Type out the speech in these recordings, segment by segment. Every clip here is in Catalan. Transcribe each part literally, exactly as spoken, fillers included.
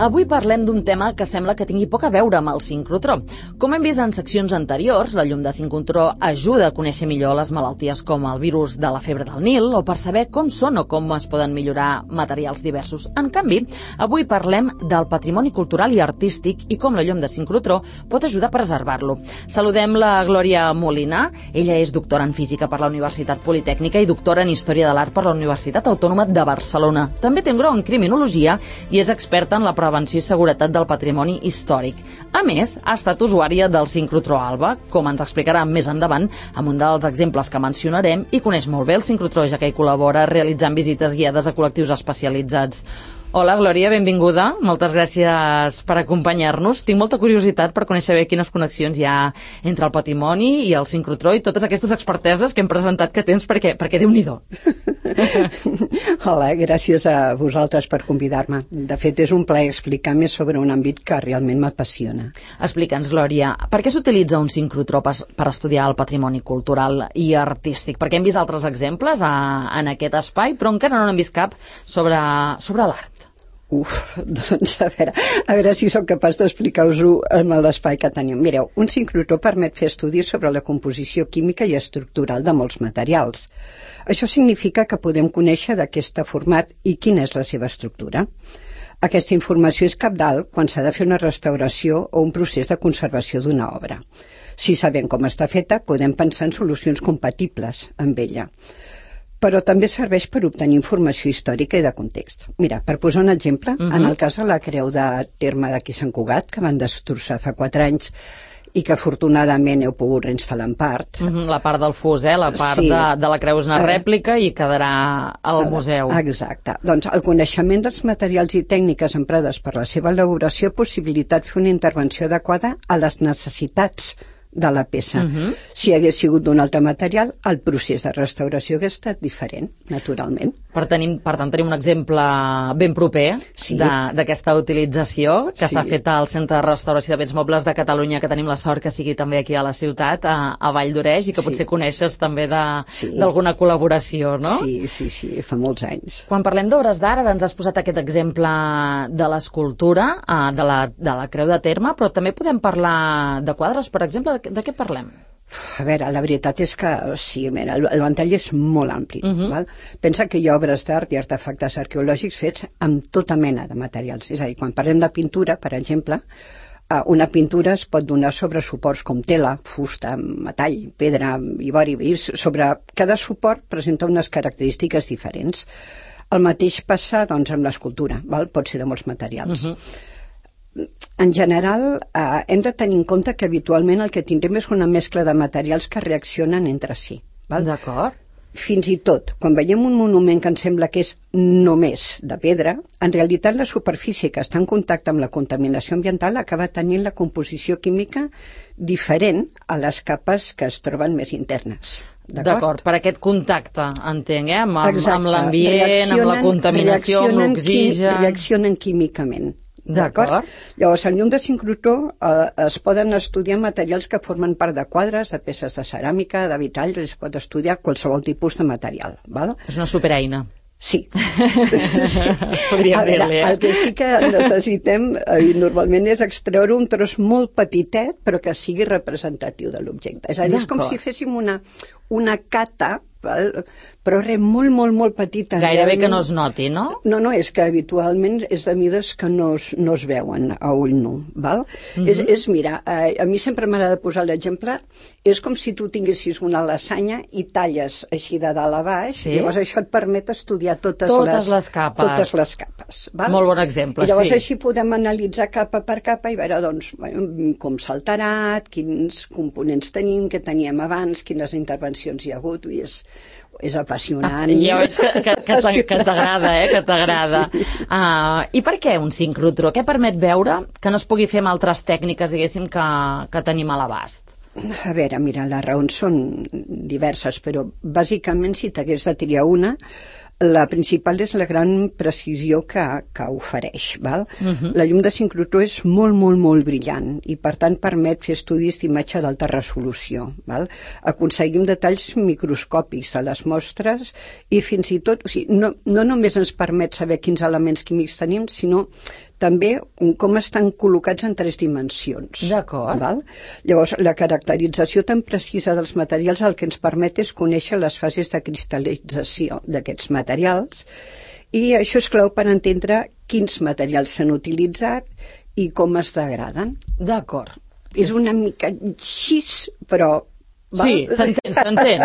Avui parlem d'un tema que sembla que tingui poc a veure amb el sincrotró. Com hem vist en seccions anteriors, la llum de sincrotró ajuda a conèixer millor les malalties com el virus de la febre del Nil o per saber com són o com es poden millorar materials diversos. En canvi, avui parlem del patrimoni cultural i artístic i com la llum de sincrotró pot ajudar a preservar-lo. Saludem la Glòria Molina. Ella és doctora en Física per la Universitat Politècnica i doctora en Història de l'Art per la Universitat Autònoma de Barcelona. També té un grau en Criminologia i és experta en la prevenció i seguretat del patrimoni històric. A més, ha estat usuària del sincrotró Alba, com ens explicarà més endavant amb un dels exemples que mencionarem, i coneix molt bé el sincrotró, ja que hi col·labora realitzant visites guiades a col·lectius especialitzats. Hola, Glòria, benvinguda. Moltes gràcies per acompanyar-nos. Tinc molta curiositat per conèixer bé quines connexions hi ha entre el patrimoni i el sincrotró i totes aquestes experteses que hem presentat que tens, perquè, perquè Déu-n'hi-do. Hola, gràcies a vosaltres per convidar-me. De fet, és un plaer explicar més sobre un àmbit que realment m'apassiona. Explica'ns, Glòria, per què s'utilitza un sincrotró per, per estudiar el patrimoni cultural i artístic? Perquè hem vist altres exemples a, en aquest espai, però encara no n'hem vist cap sobre, sobre l'art. Uf, doncs a veure, a veure si sóc capaç d'explicar-vos-ho amb l'espai que tenim. Mireu, un sincrotró permet fer estudis sobre la composició química i estructural de molts materials. Això significa que podem conèixer de què està format i quina és la seva estructura. Aquesta informació és cabdal quan s'ha de fer una restauració o un procés de conservació d'una obra. Si sabem com està feta, podem pensar en solucions compatibles amb ella. Però també serveix per obtenir informació històrica i de context. Mira, per posar un exemple, uh-huh. en el cas de la creu de terme d'aquí Sant Cugat, que van destrossar fa quatre anys i que afortunadament heu pogut reinstal·lar en part. Uh-huh. La part del fus, eh? La part sí. de, de la creu és una rèplica i quedarà al museu. Exacte. Doncs el coneixement dels materials i tècniques emprades per la seva elaboració ha possibilitat fer una intervenció adequada a les necessitats de la peça. Uh-huh. Si hagués sigut d'un altre material, el procés de restauració hagués estat diferent, naturalment. Per, tenim, per tant, tenim un exemple ben proper sí. d'aquesta utilització que sí. s'ha fet al Centre de Restauració de Béns Mobles de Catalunya, que tenim la sort que sigui també aquí a la ciutat, a, a Vall d'Oreix, i que potser sí. coneixes també d'alguna sí. col·laboració, no? Sí, sí, sí, fa molts anys. Quan parlem d'obres d'art, ens has posat aquest exemple de l'escultura, de la, de la creu de terme, però també podem parlar de quadres, per exemple. De, de què parlem? A veure, la veritat és que sí, mira, el, el ventall és molt ampli. Uh-huh. Val? Pensa que hi ha obres d'art i artefactes arqueològics fets amb tota mena de materials. És a dir, quan parlem de pintura, per exemple, una pintura es pot donar sobre suports com tela, fusta, metall, pedra, ivori, i sobre cada suport presenta unes característiques diferents. El mateix passa, doncs, amb l'escultura, val? Pot ser de molts materials. Uh-huh. En general, eh, hem de tenir en compte que habitualment el que tindrem és una mescla de materials que reaccionen entre si. D'acord. Fins i tot, quan veiem un monument que ens sembla que és només de pedra, en realitat la superfície que està en contacte amb la contaminació ambiental acaba tenint la composició química diferent a les capes que es troben més internes. D'acord, per aquest contacte, entenc, eh? amb, amb l'ambient, amb la contaminació, amb l'oxigen... Reaccionen químicament. D'acord. Llavors, en llum de sincrotró eh, es poden estudiar materials que formen part de quadres, de peces de ceràmica, de vitralls, es pot estudiar qualsevol tipus de material. Val? És una supereina. Sí. sí. Podríem dir-li, eh? El que sí que necessitem eh, normalment és extreure un tros molt petitet, però que sigui representatiu de l'objecte. És a dir, és com si féssim una, una cata, val? Però res, molt, molt, molt petita. Gairebé que no es noti, no? No, no, és que habitualment és de mides que no es, no es veuen a ull nu, val? Uh-huh. és, és, mira, eh, a mi sempre m'agrada posar l'exemple, és com si tu tinguessis una lasanya i talles així de dalt a baix, sí? Llavors això et permet estudiar totes, totes les, les capes. Totes les capes, val? Molt bon exemple, I llavors sí. així podem analitzar capa per capa i veure, doncs, bueno, com s'ha alterat, quins components tenim, què teníem abans, quines intervencions hi ha hagut, i és... és apassionant. Ah, ja veig que, que, que, que t'agrada, eh? Que t'agrada. Sí. Uh, I per què un sincrotró? Què permet veure que no es pugui fer amb altres tècniques, diguéssim, que, que tenim a l'abast? A veure, mira, les raons són diverses, però bàsicament si t'hagués de triar una, la principal és la gran precisió que, que ofereix. Val? Uh-huh. La llum de sincrotró és molt, molt, molt brillant i, per tant, permet fer estudis d'imatge d'alta resolució. Val? Aconseguim detalls microscòpics de les mostres i fins i tot, o sigui, no, no només ens permet saber quins elements químics tenim, sinó també com estan col·locats en tres dimensions. D'acord. Llavors, la caracterització tan precisa dels materials el que ens permet és conèixer les fases de cristal·lització d'aquests materials, i això és clau per entendre quins materials s'han utilitzat i com es degraden. D'acord. És una mica així, però... Val? Sí, s'entén, s'entén.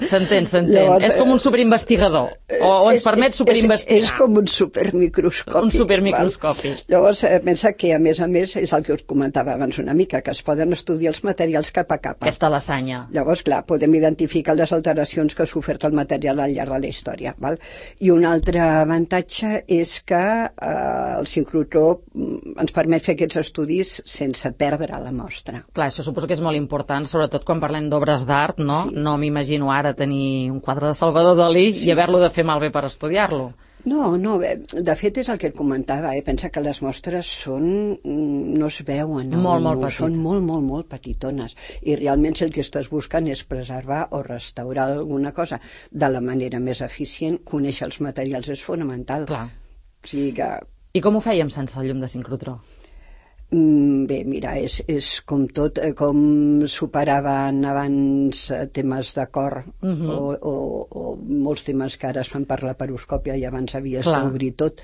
S'entén, s'entén. És com un superinvestigador, o, o ens permet superinvestigar. És, és com un supermicroscopi. Un supermicroscopi. Val? Llavors, eh, pensa que, a més a més, és el que us comentava abans una mica, que es poden estudiar els materials capa a capa. Aquesta lasanya. Llavors, clar, podem identificar les alteracions que ha sofert el material al llarg de la història. Val? I un altre avantatge és que eh, el sincrotró ens permet fer aquests estudis sense perdre la mostra. Clar, això suposo que és molt important, sobretot quan parlem d'obres d'art, no? Sí. No m'imagino ara tenir un quadre de Salvador Dalí sí. i haver-lo de fer malbé per estudiar-lo. No, no, de fet és el que et comentava, eh? Pensa que les mostres són, no es veuen, molt, molt petit. Són molt, molt, molt petitones, i realment si el que estàs buscant és preservar o restaurar alguna cosa de la manera més eficient, conèixer els materials és fonamental. Clar. O sigui que... I com ho fèiem sense el llum de sincrotró? Bé, mira, és, és com tot, com superaven abans temes de cor uh -huh. o, o, o molts temes que ara es fan per la paroscòpia i abans havies d'obrir tot.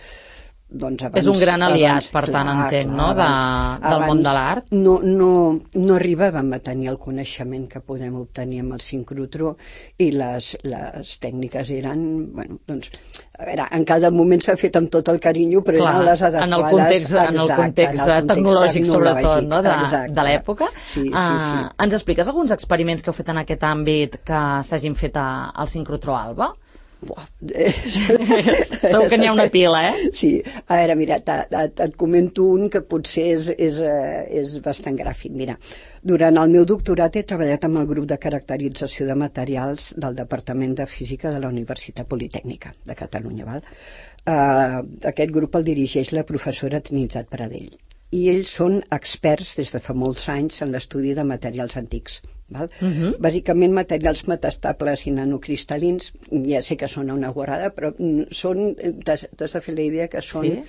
Doncs abans, és un gran aliat, abans, per tant, clar, entenc, clar, no? De, abans, del món de l'art. No, no, no arribàvem a tenir el coneixement que podem obtenir amb el sincrotró, i les, les tècniques eren, bueno, doncs, a veure, en cada moment s'ha fet amb tot el carinyo, però clar, eren les adequades. En el context, exacte, en el context, en el context tecnològic, sobretot, no? de, de l'època. Sí, sí, uh, sí. Ens expliques alguns experiments que heu fet en aquest àmbit que s'hagin fet a, al sincrotró Alba? Buah. Segur que n'hi ha una pila, eh? Sí, a veure, mira, et comento un que potser és, és, és bastant gràfic. Mira, durant el meu doctorat he treballat amb el grup de caracterització de materials del Departament de Física de la Universitat Politècnica de Catalunya. Val? Uh, aquest grup el dirigeix la professora Trinitat Pradell, i ells són experts des de fa molts anys en l'estudi de materials antics. Val? Uh-huh. Bàsicament materials metastables i nanocristal·lins, ja sé que són una guarrada, però són, t'has de fer la idea que són sí?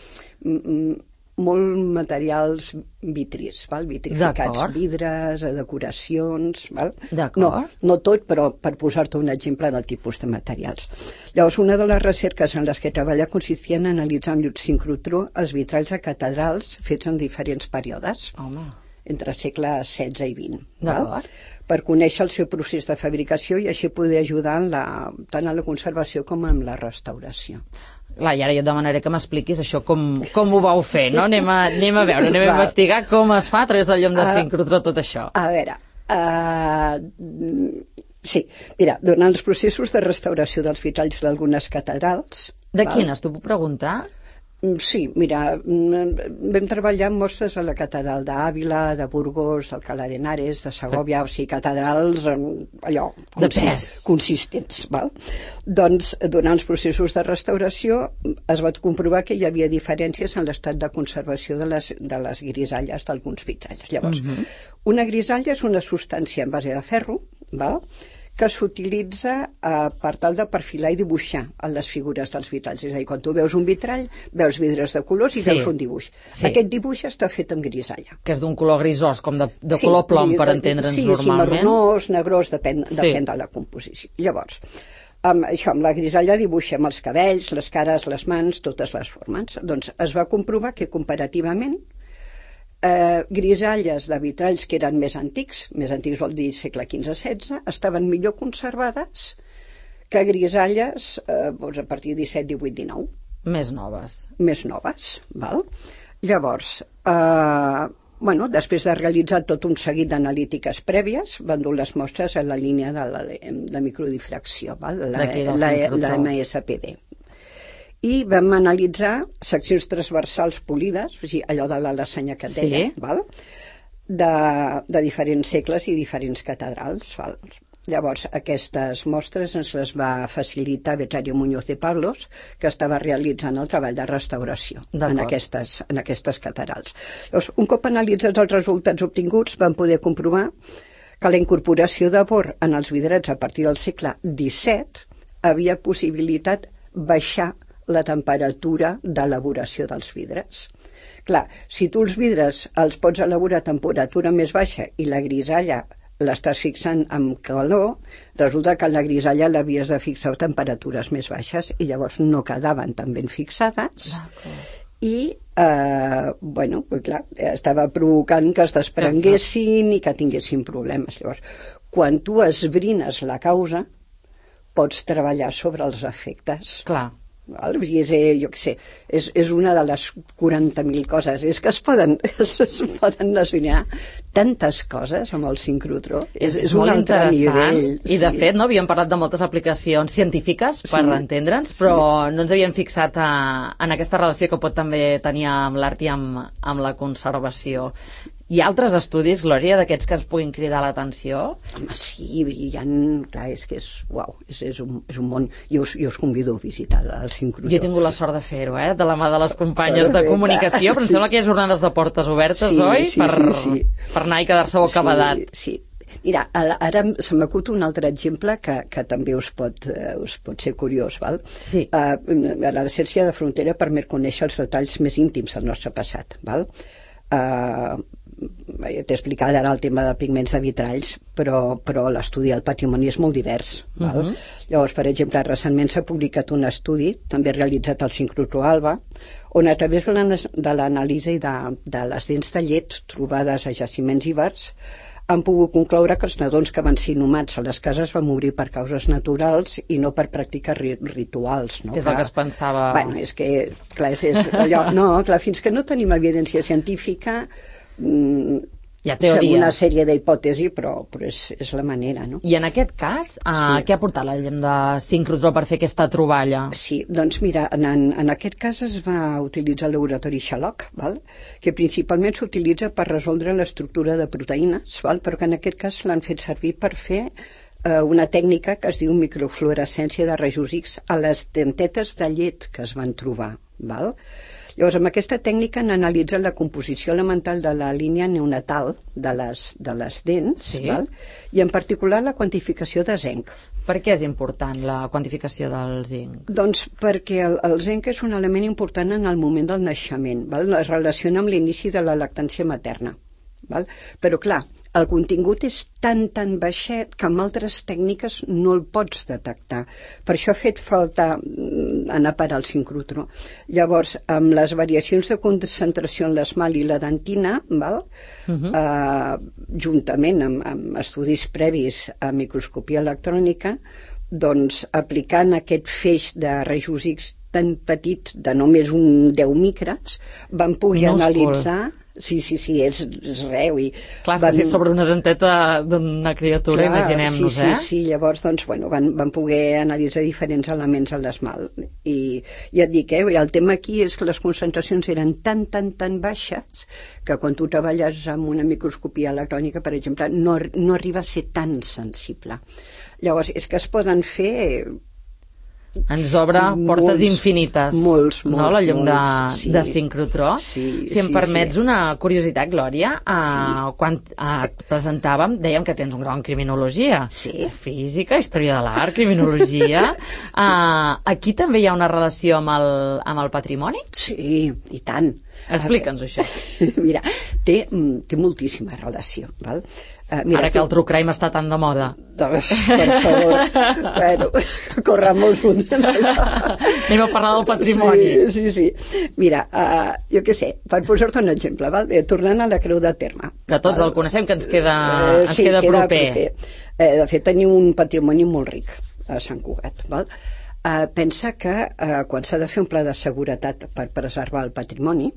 molt materials vitris, val? Vitrificats, vidres, decoracions, val? No, no tot, però per posar-te un exemple del tipus de materials. Llavors, una de les recerques en les que treballa consistia en analitzar amb llum sincrotró els vitralls de catedrals fets en diferents períodes. Home. Entre segles setze i vint, val? Per conèixer el seu procés de fabricació i així poder ajudar en la, tant en la conservació com en la restauració. Clar, i ara jo et demanaré que m'expliquis això com, com ho vau fer, no? Anem a, anem a veure, anem a investigar com es fa a través del llum de sincrotró tot això. A veure, uh, sí, mira, durant els processos de restauració dels vitralls d'algunes catedrals... De quines, t'ho puc preguntar? Sí, mira, vam treballar amb mostres a la catedral d'Àvila, de Burgos, d'Alcalá de Henares, de Segòvia, o sigui, catedrals allò, de pes, consistents, val? Doncs, durant els processos de restauració es va comprovar que hi havia diferències en l'estat de conservació de les, de les grisalles d'alguns vitralls. Llavors, uh-huh. una grisalla és una substància en base de ferro, val? Que s'utilitza eh, per tal de perfilar i dibuixar en les figures dels vitralls. És a dir, quan tu veus un vitrall, veus vidres de colors i sí, veus un dibuix. Sí. Aquest dibuix està fet amb grisalla. Que és d'un color grisós, com de, de sí, color plom, per entendre'ns sí, normalment. Sí, marronós, negrós, depèn, sí. depèn de la composició. Llavors, amb, això, amb la grisalla dibuixem els cabells, les cares, les mans, totes les formes. Doncs es va comprovar que comparativament Eh, grisalles de vitralls que eren més antics, més antics vol dir segle quinze setze, estaven millor conservades que grisalles eh, doncs a partir de disset, divuit, dinou. Més noves. Més noves, val? Llavors, eh, bueno, després de realitzar tot un seguit d'analítiques prèvies, van dur les mostres a la línia de, la, de microdifracció, val? La, la, la M S P D. I vam analitzar seccions transversals polides, o sigui, allò de la lasanya que et deia, sí. val? De, de diferents segles i diferents catedrals. Val? Llavors, aquestes mostres ens les va facilitar Betsario Muñoz de Pablos, que estava realitzant el treball de restauració en aquestes, en aquestes catedrals. Llavors, un cop analitzats els resultats obtinguts, vam poder comprovar que la incorporació de bor en els vidrats a partir del segle disset havia possibilitat baixar la temperatura d'elaboració dels vidres. Clar, si tu els vidres els pots elaborar a temperatura més baixa i la grisalla l'estàs fixant amb calor, resulta que la grisalla l'havies de fixar a temperatures més baixes i llavors no quedaven tan ben fixades. I, eh, bueno, pues clar, estava provocant que es desprenguessin i que tinguessin problemes. Llavors, quan tu esbrines la causa, pots treballar sobre els efectes. Clar. Val? I és, jo què sé, és, és una de les quaranta mil coses. És que es poden, es, es poden esbrinar tantes coses amb el sincrotró. És, és, és un molt altre interessant. nivell. I, de sí. fet, no havíem parlat de moltes aplicacions científiques per sí. entendre'ns, però sí. no ens havíem fixat a, en aquesta relació que pot també tenir amb l'art i amb, amb la conservació. Hi ha altres estudis, Glòria, d'aquests que ens puguin cridar l'atenció? Home, sí, hi ha... Clar, és que és... Uau, és, és, un, és un món... Jo us, jo us convido a visitar el sincrotró. Jo he tingut la sort de fer-ho, eh? De la mà de les companyes de comunicació, però em sembla que hi ha jornades de portes obertes, sí, oi? Sí, per, sí, sí. per anar i quedar-se bocabadat. Sí, sí. Mira, ara se m'acut un altre exemple que, que també us pot, uh, us pot ser curiós, val? Sí. Uh, la recerca de frontera permet conèixer els detalls més íntims del nostre passat, val? Uh, t'he explicat ara el tema de pigments de vitralls, però, però l'estudi del patrimoni és molt divers. Val? Uh -huh. Llavors, per exemple, recentment s'ha publicat un estudi, també realitzat al sincrotró Alba, on a través de l'anàlisi de, de les dents de llet trobades a jaciments ibers han pogut concloure que els nadons que van ser inhumats a les cases van morir per causes naturals i no per pràctiques ri rituals. No? És el que es pensava... Bueno, és que, clar, és, és allò... No, clar, fins que no tenim evidència científica... Hi ha teoria. Una sèrie d'hipòtesis, però, però és, és la manera, no? I en aquest cas, uh, sí. què ha portat la llem de sincrotró per fer aquesta troballa? Sí, doncs mira, en, en aquest cas es va utilitzar el laboratori Sherlock, val? Que principalment s'utilitza per resoldre l'estructura de proteïnes, val? Però que en aquest cas l'han fet servir per fer eh, una tècnica que es diu microfluorescència de rajos X a les dentetes de llet que es van trobar, val? Llavors, amb aquesta tècnica han analitzat la composició elemental de la línia neonatal de les, de les dents, sí. val? I en particular la quantificació de zinc. Per què és important la quantificació del zinc? Doncs perquè el, el zinc és un element important en el moment del naixement, val? Es relaciona amb l'inici de la lactància materna. Val? Però clar, el contingut és tan tan baixet que amb altres tècniques no el pots detectar. Per això ha fet falta anar a parar al sincrotró. Llavors, amb les variacions de concentració en l'esmalt i la dentina, val? Uh -huh. eh, juntament amb, amb estudis previs a microscopia electrònica, doncs aplicant aquest feix de rajos X tan petit, de només un deu micres, van poder minúscul. Analitzar... Sí, sí, sí, és, és reu. I clar, van... que sí, sobre una denteta d'una criatura, imaginem-nos, sí, eh? Sí, sí, llavors, doncs, bueno, van, van poder analitzar diferents elements a l'esmalt. I ja et dic, eh, el tema aquí és que les concentracions eren tan, tan, tan baixes que quan tu treballes amb una microscopia electrònica, per exemple, no, no arriba a ser tan sensible. Llavors, és que es poden fer... Ens obre portes molts, infinites, molts, molts, no? La llum molts, de, sí. de sincrotró. Sí, si em sí, permets sí. una curiositat, Glòria, uh, sí. quan uh, et presentàvem, dèiem que tens un grau en criminologia, sí. física, història de l'art, criminologia. uh, aquí també hi ha una relació amb el, amb el patrimoni? Sí, i tant. Explica'ns això. Mira, té, té moltíssima relació, val? Uh, mira, Ara que tu... el true crime està tan de moda. Doncs, per favor, bueno, corre molt fund. Anem a parlar del patrimoni. Sí, sí, sí. Mira, uh, jo què sé, per posar-te un exemple, val? Eh, tornant a la Creu de Terme. Que tots val? El coneixem, que ens queda, eh, ens sí, queda, queda proper. proper. Eh, de fet, tenim un patrimoni molt ric a Sant Cugat, val? Uh, pensa que uh, quan s'ha de fer un pla de seguretat per preservar el patrimoni,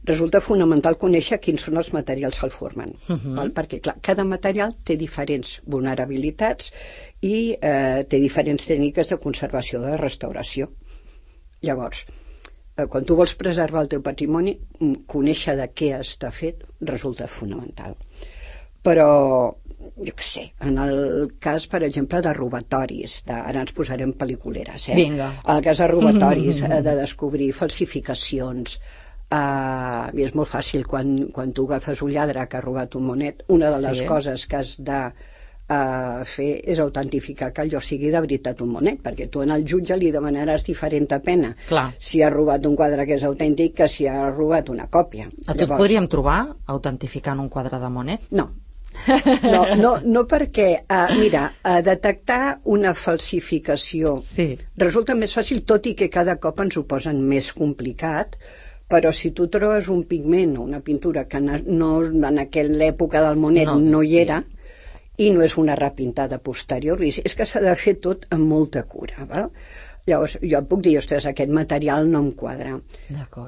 resulta fonamental conèixer quins són els materials que el formen, uh -huh. val? Perquè clar, cada material té diferents vulnerabilitats i eh, té diferents tècniques de conservació, de restauració. Llavors, eh, quan tu vols preservar el teu patrimoni, conèixer de què està fet resulta fonamental. Però jo què sé, en el cas, per exemple, de robatoris, de, ara ens posarem pel·liculeres, eh? Vinga. En el cas de robatoris, eh, de descobrir falsificacions, Uh, i és molt fàcil quan, quan tu agafes un lladre que ha robat un monet, una de les sí. coses que has de a fer és autentificar que allò sigui de veritat un monet, perquè tu en el jutge li demanaràs diferent pena Clar. si ha robat un quadre que és autèntic que si ha robat una còpia. A tu et podríem trobar autentificant un quadre de Monet? No. No, no, no perquè, uh, mira, uh, detectar una falsificació sí. resulta més fàcil, tot i que cada cop ens ho posen més complicat, però si tu trobes un pigment o una pintura que no, en aquella època del Monet no, no hi era, i no és una repintada posterior, és que s'ha de fer tot amb molta cura, val? Llavors, jo et puc dir, ostres, aquest material no em quadra.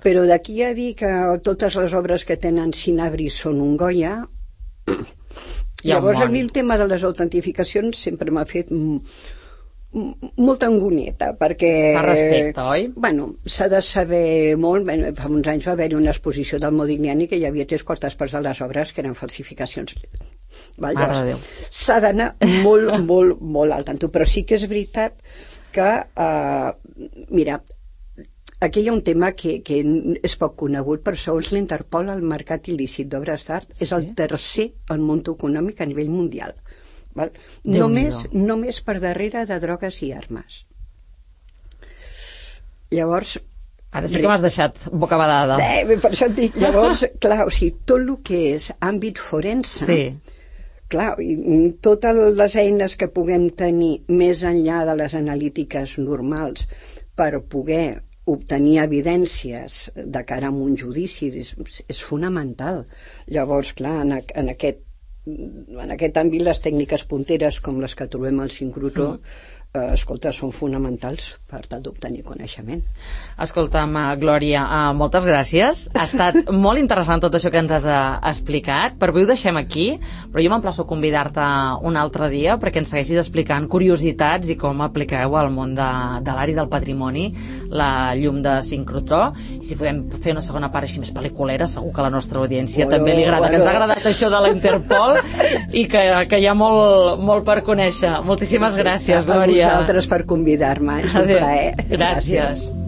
Però d'aquí a dir que totes les obres que tenen Cinabri són un Goya, llavors a mi el tema de les autentificacions sempre m'ha fet molta angonieta, perquè... Per respecte, oi? Bueno, s'ha de saber molt. Bueno, fa uns anys va haver-hi una exposició del Modigliani que hi havia tres quartes parts de les obres que eren falsificacions. S'ha d'anar molt, molt, molt al tanto, però sí que és veritat que, uh, mira, aquí hi ha un tema que, que és poc conegut, però segons l'Interpol el mercat il·lícit d'obres d'art sí. és el tercer al món econòmic a nivell mundial. Val? Només, només per darrere de drogues i armes. Llavors... Ara sí que m'has deixat bocabadada. Eh, per això et dic, llavors, clar, o sigui, tot el que és àmbit forense, sí. clar, i totes les eines que puguem tenir més enllà de les analítiques normals per poder obtenir evidències de cara a un judici és, és fonamental. Llavors, clar, en, en aquest en aquest àmbit les tècniques punteres com les que trobem al sincrotró mm. eh, escolta, són fonamentals per tal d'obtenir coneixement. Escolta'm, Glòria, uh, moltes gràcies. Ha estat molt interessant tot això que ens has uh, explicat. Per avui ho deixem aquí, però jo m'emplaço a convidar-te un altre dia perquè ens segueixis explicant curiositats i com apliqueu al món de, de l'art i del patrimoni la llum de sincrotró. I si podem fer una segona part així més pel·liculera, segur que a la nostra audiència bueno, també li agrada, bueno. que ens ha agradat això de la Interpol i que, que hi ha molt, molt per conèixer. Moltíssimes gràcies, Glòria. A vosaltres per convidar-me, és un plaer. Gràcies. gràcies.